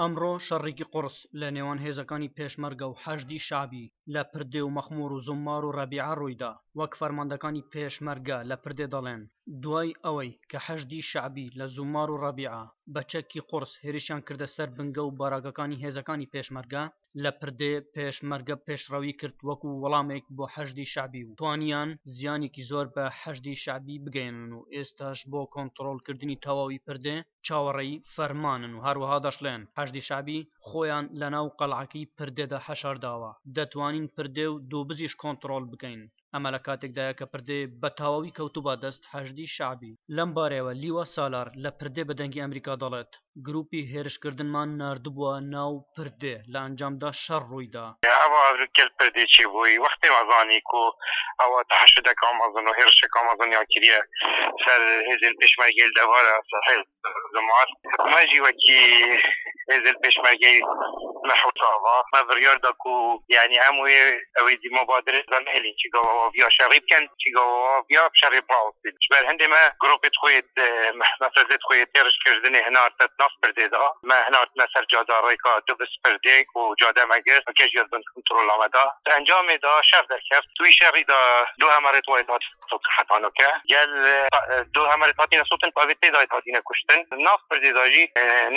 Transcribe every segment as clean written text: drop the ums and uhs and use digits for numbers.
ئەمڕۆ شەڕێکی قوڕس لە نێوان هێزەکانی پێشمەرگە و حەشدی شەعبی لە پردێ و مەخموور و زوممار و ڕەبیعە ڕوویدا، وەک فەرماندەکانی پێشمەرگە لە پردێ دەڵێن، دوای ئەوەی کە حەشدی شەعبی لە زوممار و ڕەبیعە بە چەکی قوڕس هێرشیان کردە سەر بنگە و باراکەکانی هێزەکانی پێشمەرگە، لە پردێ پێشمەرگە پێشڕەوی کرد وەکو وەڵامێک بۆ حەشدی شەعبی و توانیان زیانێکی زۆر بە حەشدی شەعبی بگەیەنن و ئێستاش بۆ کۆنتڕۆڵکردنی تەواوی پردێ چاوەڕێی فەرمانن و هەروەها دەشڵێن حەشدی شەعبی خۆیان لەناو قەڵعەکەی پردێدا حەشارداوە دەتوانین پردێ و دووبزیش کۆنتڕۆڵ بکەین. ئەمە لە کاتێکدایە کە پردێ بە تەواوی کەوتووبە دەست حەشدی شەعبی. لەم بارەیەوە لیوا سالار لە پردێ بە دەنگی ئەمریکا دەڵێت، گروپی هێرشکردنمان ناردبووە ناو پردێ، لە ئەنجامدا شەڕ ڕوویدا. ئەوە گەل پردێ چێ بووی وەختێ مە زانی کو ئەوە تەحەشدەکا مەزن و هێرشەکا مەزن کریە سەر هێزێن پێشمەرگەیل دەڤارە سەر زمار مە ژی وەکی هێزێن پێشمەرگەی مە حوساوا مە بڕیار دا کو یعنی ئەم وێ ئەوەی دی مبادرە دا نەهێلین چی گاوە ڤیا شەڕی بکەن چی گاوە ڤیا شەڕی بڕاوستین ژبەر هەندێ مە گرۆپێت خۆیت مەفرەزێت خۆیت هێرش کردنێ هەنارتە ناف پردێ دا مە هەنارتنە سەر جادا ڕێکا دوبس پردێک و جادە مە گرت کەش یاد بن کنترۆلا مە دا ئەنجامێ دا شەڕ دەرکەفت توی شەڕی دا دو هەمەرێت وای هات سوتن حەتانۆکە گەل دو هەمەرێت هاتینە سوتن پاوێت تێ دایت هاتینە کوشتن ناف پردێ دا ژی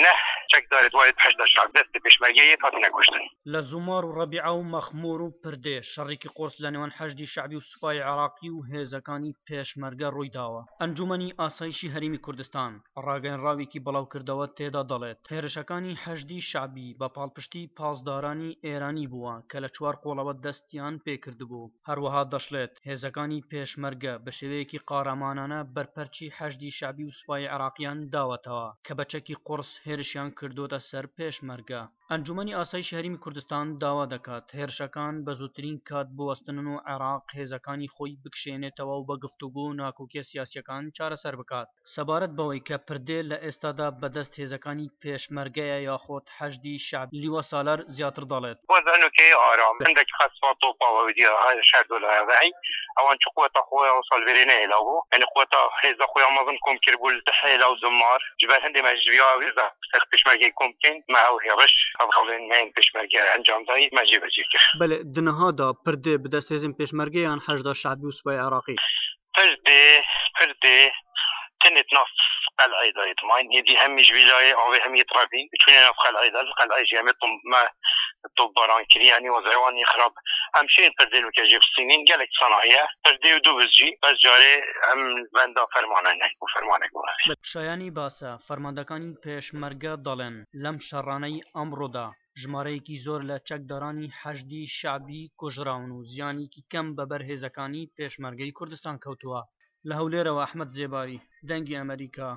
نە چەکدارێت وایت حەشدا شەعب دەست پێشمەرگە یەت هاتینە کوشتن. لە زومار و ڕەبیعە و مەخموور و پردێ شەڕێکی قورس لە نێوان حەشدی شەعبی و سوپای عێراقی و هێزەکانی پێشمەرگە ڕوویداوە. ئەنجوومەنی ئاسایشی هەرێمی کوردستان ڕاگەیەنراوێکی بڵاوکردەوە تێدا دەڵێت، هێرشەکانی حەشدی شەعبی بە پاڵپشتی پاسدارانی ئێرانی بووە کە لە چوار قۆڵەوە دەستیان پێکردبوو. هەروەها دەشڵێت، هێزەکانی پێشمەرگە بە شێوەیەکی قارەمانانە بەرپەرچی حەشدی شەعبی و سوپای عێراقیان داوەتەوە کە بە چەکی قوڕس هێرشیان کردۆتە سەر پێشمەرگە. ئەنجومەنی ئاسایشی هەرێمی کوردستان داوا دەکات هێرشەکان بە زووترین کات بوەستنن و عێراق هێزەکانی خۆی بکشێنێتەوە و بە گفتوگۆ ناکۆکیە سیاسیەکان چارەسەر بکات. سەبارەت بەوەی کە پردێ لە ئێستادا بەدەست هێزەکانی پێشمەرگەیە یاخود حەشدی شەعبی، لیوا سالار زیاتر دەڵێت. وەزعنوکەی ئارام هەندێک خەسفا تۆپاوە ودیا شەردۆلایە ڤەی ئەوان چ قوەتا خۆیا وسال ڤێرێ نەهێلاوبوو یعنی قوەتا هێزا خۆیا مەزن کۆم کردبوو لە حێلا و زمار جبەر هەندێ مە ژڤیا هێزا سەر پێشمەرگەی کۆم بکەین مە ئەو هێڕش هەڤاڵێن مەین پێشمەرگە ئەنجام دای مە جێبەجێ کرد. بەلێ دنهادا پردێ بدەست هێزێن پێشمەرگە یان حەشدا شەعبی و سوپای عێراقی؟ پردێ پردێ تنێت ناف قەلعێ دا یت ماین هێدی هەمیش ویلایێ ئاوێ هەم یت ڕەڤین چونێ ناف قەلعێ دا قەلعێ ژی هەمێ طم مە تۆپباران کری یعنی وەزعێ خراب ئەم شێن پردێ نوکە ژێ بسینین گەلێک سەنایە پردێ و دوو بزجی بەس جارێ ئەم بەندا فەرمانە نەک بوو فەرمانێک بوو. شایانی باسە، فەرماندەکانی پێشمەرگە دەڵێن، لەم شەڕانەی ئەمڕۆدا ژمارەیەکی زۆر لە چەکدارانی حەشدی شەعبی کوژراون و زیانێکی کەم بە بەر هێزەکانی پێشمەرگەی کوردستان کەوتووە. لە هەولێرەوە ئەحمەد زێباری، دەنگی ئەمەریکا.